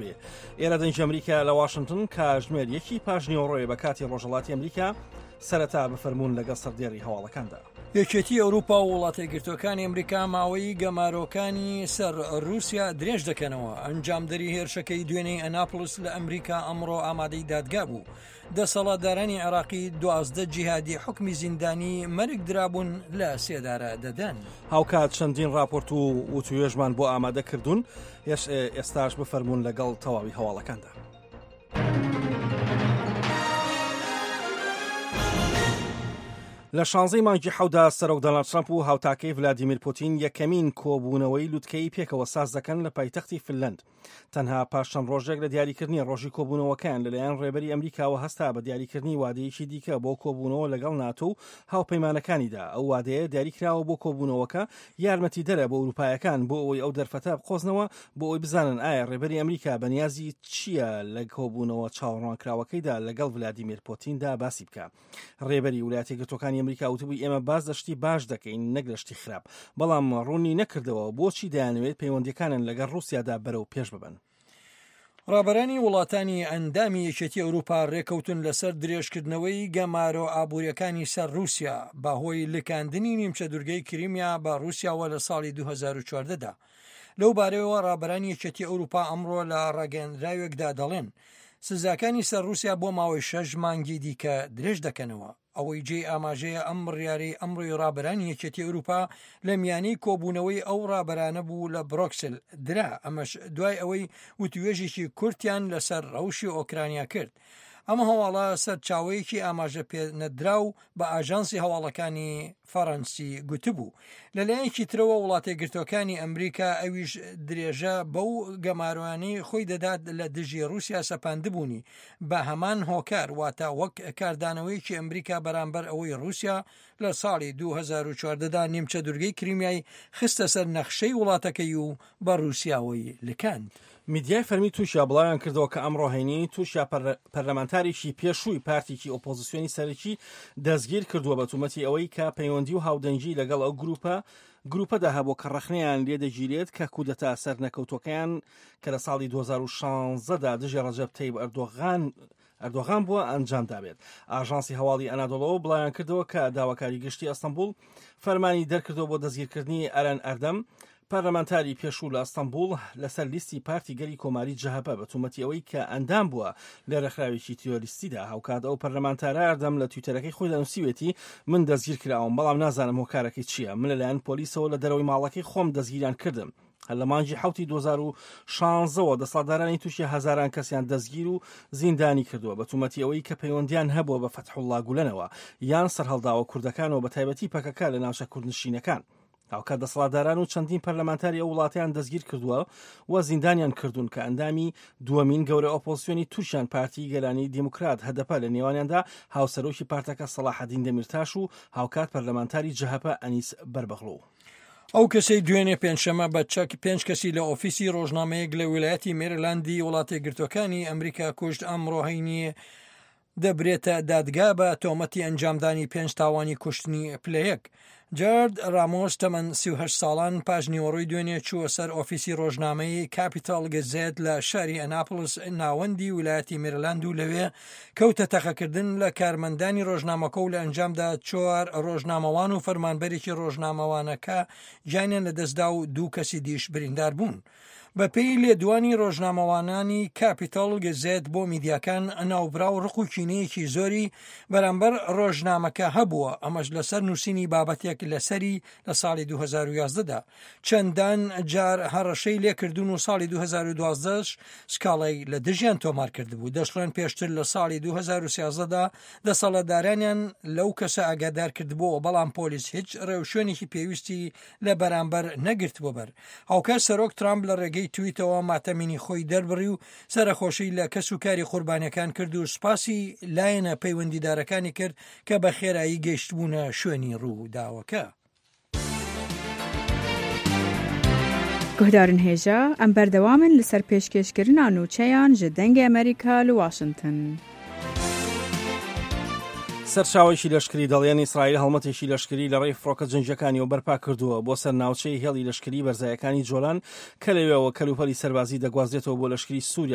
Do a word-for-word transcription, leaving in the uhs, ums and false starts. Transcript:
دەکەوێ. ئێرە دەنگی ئەمریکا لە واشنگتن کاتژمێر یەکی پاش نیوەڕۆیە بە کاتی ڕۆژهەڵاتی ئەمریکا. سەرەتا بفەرموون لەگەڵ سەردێڕی هەواڵەکاندا. یەکێتی ئەوروپا و وڵاتە یەکگرتووەکانی ئەمریکا ماوەی گەمارۆکانی سەر رووسیا درێژ دەکەنەوە. ئەنجامدەری هێرشەکەی دوێنێی ئەناپڵس لە ئەمریکا ئەمڕۆ ئامادەی دادگا بوو. دەسەڵاتدارانی عێراقی دوازدە جیهادی حوکمی زیندانی مەرگ درابوون لە سێدارە دەدەن. هاوکات چەندین راپۆرت و وتوێژمان بۆ ئامادە کردوون، ئێستاش بفەرموون لەگەڵ تەواوی هەواڵەکاندا. لە شانزەی مانگی حەودا سەرۆک دۆناڵد ترەمپ و هاوتاکەی ڤلادیمیر پوتین یەکەمین کۆبوونەوەی لوتکەی پێکەوە ساز دەکەن لە پایتەختی فنلەند. تەنها پاش چەند ڕۆژێک لە دیاریکردنی ڕۆژی کۆبوونەوەکەیان لەلایەن ڕێبەری ئەمریکاوە هەستا بە دیاریکردنی وادەیەکی دیکە بۆ کۆبوونەوە لەگەڵ ناتۆ و هاوپەیمانەکانیدا. ئەو وادەیە دیاریکراوە بۆ کۆبوونەوەکە یارمەتیدەرە بۆ ئەوروپایەکان بۆ ئەوەی ئەو دەرفەتە بقۆزنەوە بۆ ئەوەی بزانن ئایا ڕێبەری ئەمریکا بەنیازی چییە لە کۆبوونەوە چاوەڕوانکراوەکەیدا لەگەڵ ڤلادیمیر پوتیندا باسی بکە. ڕێبەری وڵاتە یەکگرتووەکانی ئەمریکا وتبووی ئێمە باس لە شتی باش دەکەین نەک لە شتی خراپ، بەڵام ڕوونی نەکردەوە بۆچی دەیانەوێت پەیوەندیەکانیان لەگەڵ ڕووسیادا بەرەو پێش ببەن. ڕابەرانی وڵاتانی ئەندامی یەکێتی ئەوروپا ڕێکەوتن لەسەر درێژکردنەوەی گەمارۆ ئابووریەکانی سەر رووسیا بەهۆی لکاندنی نیمچە دوورگەی کریمیا بە رووسیاوە لە ساڵی دوو هەزار و چواردە دا. لەو بارەیەوە ڕابەرانی یەکێتی ئەوروپا ئەمڕۆ لە ڕاگەیەندراوێکدا دەڵێن سزاکانی سەر رووسیا بۆ ماوەی شەش مانگی دیکە درێژ دەکەنەوە. ئەوەی جێی ئاماژەیە ئەم بڕیارەی ئەمڕۆی ڕابەرانی یەکێتی ئەوروپا لە میانەی کۆبوونەوەی ئەو ڕابەرانە بوو لە برۆکسل درا، ئەمەش دوای ئەوەی وتوێژێکی کورتیان لەسەر ڕەوشی ئۆکرانیا کرد. ئەم هەواڵە سەرچاوەیەکی ئاماژە پێنەدراو بە ئاژانسی هەواڵەکانی فەڕەنسی گوتبوو. لەلایەکی ترەوە وڵاتە یەکگرتووەکانی ئەمریکا ئەویش درێژە بەو گەمارۆیانەی خۆی دەدات لە دژی رووسیا سەپاندبوونی بە هەمان هۆکار، واتە وەک کاردانەوەیەکی ئەمریکا بەرامبەر ئەوەی رووسیا لە ساڵی دوو هەزار و چواردە دا نیمچە دوورگەی کریمیای خستە سەر نەخشەی وڵاتەکەی و بە رووسیاوەی لکاند. میدیای فەرمی تورکیا بڵاویان کردەوە کە ئەمڕۆ هەینی تورکیا پەرلەمانتارێکی پێشووی پارتێکی ئۆپۆزیسیۆنی سەرەکی دەستگیر کردووە بە تومەتی ئەوەی کە پەیوەندی و هاودەنگی لەگەڵ ئەو گروپە گروپەدا هەبوو کە ڕەخنەیان لێدەگیرێت کە کودەتا سەرنەکەوتوەکەیان کە لە ساڵی دوو هەزار و شانزە دا دژی ڕەجەب تەیب ئەردۆغان ئەردۆغان بووە ئەنجام دابێت. ئاژانسی هەواڵی ئەنادۆڵۆ بڵاویان کردەوە کە داواکاری گشتی ئەستەنبوڵ فەرمانی دەرکردەوە بۆ دەستگیرکردنی ئەرەن ئەردەم، پەرلەمانتاری پێشوو لە ئەستەنبوڵ لەسەر لیستی پارتی گەلی کۆماری جەهەپە بە تومەتی ئەوەی کە ئەندام بووە لە ڕێکخراوێکی تیرۆریستیدا. هاوکات ئەو پەرلەمانتارە ئەردەم لە تویتەرەکەی خۆیدا نووسیوێتی من دەستگیر کراوم، بەڵام نازانم هۆکارەکەی چییە. من لەلایەن پۆلیسەوە لە دەرەوەی ماڵەکەی خۆم دەستگیریان کردم. هەر لە مانگی حەوتی دوو هەزار و شانزەوە دەسەڵاتدارانی تورکیا هەزاران کەسیان دەستگیر و زیندانی کردووە بە تومەتی ئەوەی کە پەیوەندیان هەبووە بە فەتحوڵڵا گولەنەوە یان سەرهەڵداوە کوردەکانەوە بە تایبەتی پەکەکە لە ناوچە کوردنشینەکان. هاوکات دەسەڵاتداران و چەندین پەرلەمانتاری ئەو وڵاتیان دەستگیر کردووە و زیندانیان کردوون کە ئەندامی دووەمین گەورە ئۆپۆزیسیۆنی تورکیان پارتی گەلانی دیموکرات هەدەپە لە نێوانیاندا هاوسەرۆکی پارتەکە سەڵاحەدین دەمیرتاش و هاوکات پەرلەمانتاری جەهەپە ئەنیس بەربەغڵو. ئەو کەسەی دوێنێ پێنجشەممە بە چەک پێنج کەسی لە ئۆفیسی ڕۆژنامەیەک لە ویلایەتی مێریلاندی وڵاتە یەکگرتووەکانی ئەمریکا کوشت ئەمڕۆ هەینی دەبرێتە دادگا بە تۆمەتی ئەنجامدانی پێنج تاوانی کوشتنی پلەیەک. جارد ڕامۆس تەمەن سی و هەشت ساڵان پاش نیوەڕۆی دوێنێ چووە سەر ئۆفیسی ڕۆژنامەی کاپیتاڵ گەزێت لە شاری ئەناپڵس ناوەندی ویلایەتی مێریلاند و لەوێ کەوتە تەقەکردن لە کارمەندانی ڕۆژنامەکە و لە ئەنجامدا چوار ڕۆژنامەوان و فەرمانبەرێکی ڕۆژنامەوانەکە گیانیان لەدەستدا و دوو کەسی دیش بریندار بوون. بە پێی لێدوانی ڕۆژنامەوانانی کاپیتاڵ گەزێت بۆ میدیاکان ناوبراو ڕق و کینەیەکی زۆری بەرامبەر ڕۆژنامەکە هەبووە، ئەمەش لەسەر نووسینی بابەتێک لەسەری لە ساڵی دوو هەزار و یازدە دا چەندان جار هەڕەشەی لێکردون و ساڵی دوو هەزار و دوازدە سکاڵای لە دژیان تۆمار کردبوو. دەشڵێن پێشتر لە ساڵی دوو هەزار و سیازدە دا دەسەڵاتدارانیان لەو کەسە ئاگادار کردبووەوە، بەڵام پۆلیس هیچ ڕێوشوێنێکی پێویستی لە بەرامبەر نەگرتبووە بەر. هاوکات سەرۆک ترامپ لە ڕێگەی تویتەوە ماتەمینی خۆی دەربڕی و سەرەخۆشی لە کەس و کاری قوربانیەکان کرد و سوپاسی لایەنە پەیوەندیدارەکانی کرد کە بە خێرایی گەیشتبوونە شوێنی ڕووداوەکە. گوهدارن هێژا ئەم بەردەوامن لەسەر پێشکێشکردنا نوچەیان ji دەنگê ئەمریکا li واشنگتن. سەرچاوێکی لەشکری دەڵێن ئیسرائیل هەڵمەتێکی لەشکری لە ڕێی فڕۆکە جەنگیەکانیەوە بەرپا کردووە بۆ سەر ناوچەی هێڵی لەشکری بەرزایەکانی جۆلان کە لەوێەوە کەلوپەلی سەربازی دەگوازرێتەوە بۆ لەشکری سووریا